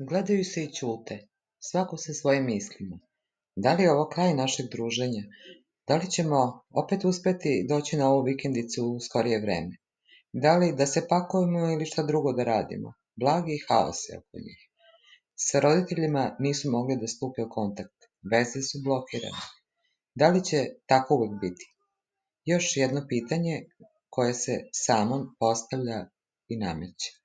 Gledaju se i ćute, svako sa svojim mislima. Da li je ovo kraj našeg druženja? Da li ćemo opet uspeti doći na ovu vikendicu u skorije vreme? Da li da se pakujemo ili šta drugo da radimo? Blagi haos je oko njih. Sa roditeljima nisu mogli da stupe u kontakt, veze su blokirane. Da li će tako uvek biti? Još jedno pitanje koje se samo postavlja i nameće.